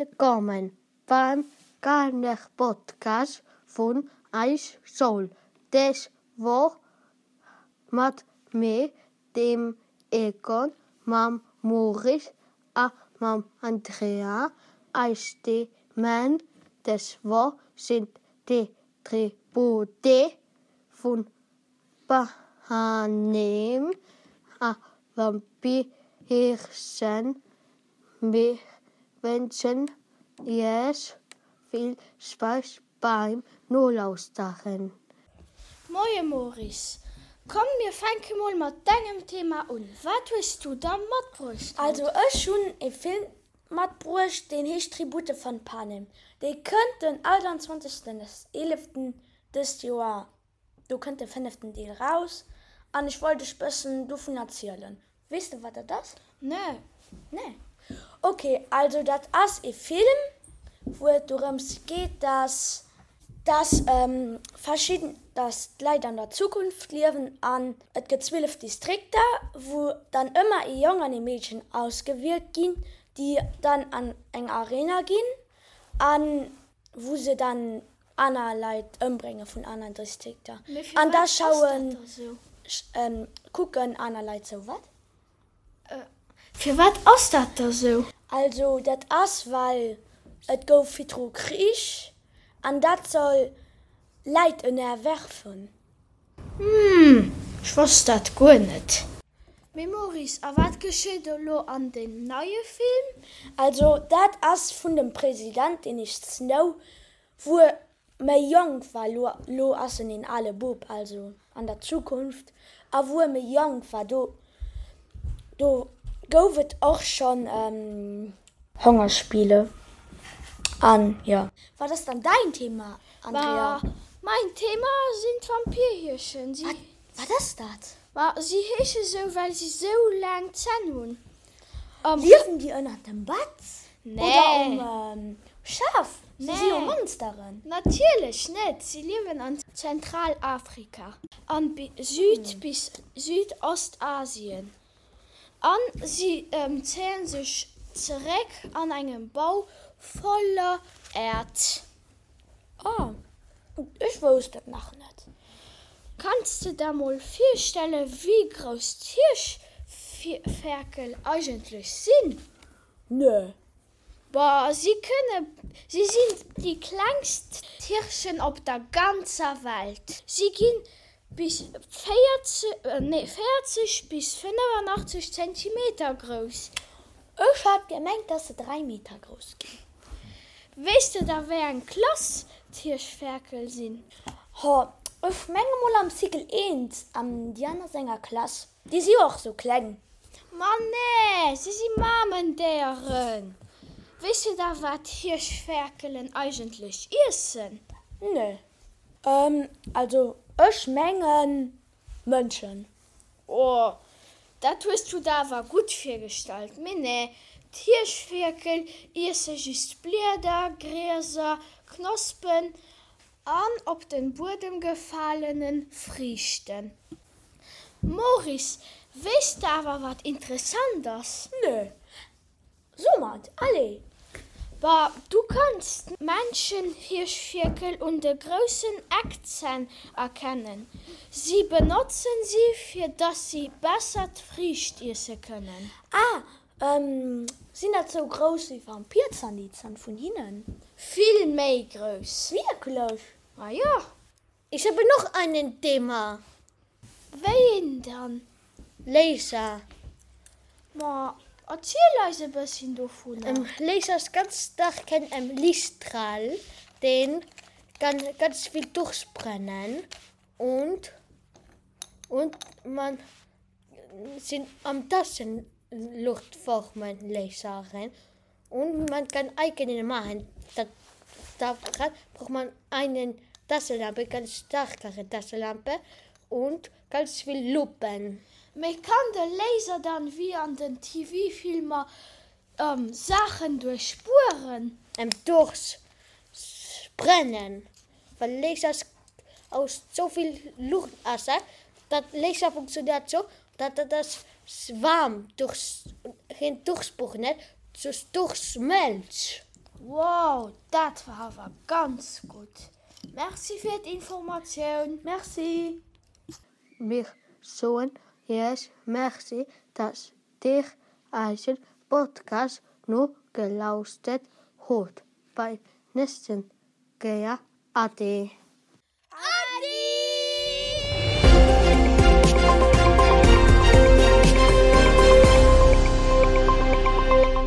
Willkommen beim Kannerpodcast vun Eis Schoul. Des Woch mat mir, dem Egon, mam Maurice a mam Andrea. Eis Themen des Woch sinn d'Tribute vun Panem a Vampirhirschen. Mir wënschen Iech vill Spaass beim Nolauschteren. Moie Maurice, komm mir fänke mol mat dengem Thema un. Wat hues du da matbruecht haut? Also ech hunn e Film matbruecht, deen heescht Tribute von Panem. Dee kënnt den 28. 11. dëst Joer Do kënnt de fënneften Deel raus an ech wollt dech bëssen dovun erzielen. Weess de wat dat ass? Nee. Nee? Ok, also dat ass ee Film wou et dorëms geet dass dass verschidden dass d'Leit an der Zukunft liewen an et gëtt 12 Distrikter wou dann ëmmer ee Jong an ee Meedchen ausgewielt ginn déi dann an eng Arena ginn an wou se dann aner Leit ëmbrénge vun aneren Distrikter Mee an da firwat ass dat schauen da sou? kucken aner Leit sou. Wat? Firwat ass dat da sou? Also dat ass well et gouf virdru Krich an dat soll Läit ënnerwerfen. Hm, ech wosst dat guer net. Mee Maurice, a wat geschitt elo an deem neie Film? Also dat ass vun dem President, deen heescht Snow, wou e méi jonk war, lo lo ass en een ale Bub, also an der Zukunft, a wou e méi jonk war, do do gouf et och schonn Hongerspiele an jo. Wat ass dann däin Thema, Andrea? Ma mäin Thema sinn d'Vampirhirschen. Si. Wat, wat ass dat? Ma si heesche sou, well si sou laang Zänn hunn. Am. Liewen déi ënnert dem Bett? Nee. Oder um Schaf? Si si jo Nee. Monsteren. Natierlech net! Si liewen an Zentralafrika an Süd bis Südostasien. An si zéien sech zeréck an engem Bau voller Äerd. Oh, ech wousst dat nach net. Kanns de der mol virstellen, wéi grouss d'Hirschferkel eigentlech sinn? Nö. Boah, si kënne, si sinn déi klengst Hirschen op der ganzer Welt. Si ginn bis 40, nee 40 bis 85 Zentimeter grouss. Ech hat gemengt, dass se 3 Meter grouss ginn. Weess de da wéi eng Klass d'Hirschferkel sinn? Ho, ech menge mol am Cycle 1, am Diana senger Klass. Déi si jo och sou kleng. Ma nee, si si Mamendéieren. Weess de da wat Hirschferkelen eigentlech iessen? Nee. Also ech mengen Mënschen. Oh, dat hues du der awer gutt virgestallt. Mee nee, d'Hirschferkel iesse just Blieder, Grieser, Knospen an op den Buedem gefalenen Friichten. Maurice, weess de awer wat interessant ass? Nö. Soumat, allez! Bah, du kanns d'Männchen-Hirschfierkel un de groussen Eckzänn erkennen. Si benotzen si fir dass si besser d'Friicht iesse kënnen. Ah, sinn dat sou grouss wéi Vampirzänn, déi Zänn vun hinnen? Vill méi grouss. Wierklech? Ma jo. Ich habe noch einen Thema. Wéi een dann? Laser. Ma erziel eis e bësschen dovunner. Laser ist ganz starken Lichtstrahl, den kann ganz viel durchbrennen und und man sind am Taschen Luftformen Laseren und man kann eigene machen. Da, da braucht man einen Taschenlampe, ganz starkere Taschenlampe und ganz viel Lupen. Mee kann de Laser dann wéi an den TV-Filmer Saachen duerchbueren? Em durchs brennen, well Lasers aus souvill Luucht ass, dat Laser funktioniert sou, dat dat ass waarm durchs, geen durchsbrennen, soss durchschmelzt. Wow, dat war awer ganz gutt! Merci fir d'Informatioun! Merci! Mir soen Iech Merci, dass Dir eisen Podcast nogelauschtert hutt. Bei nächsten Kéier. Ade.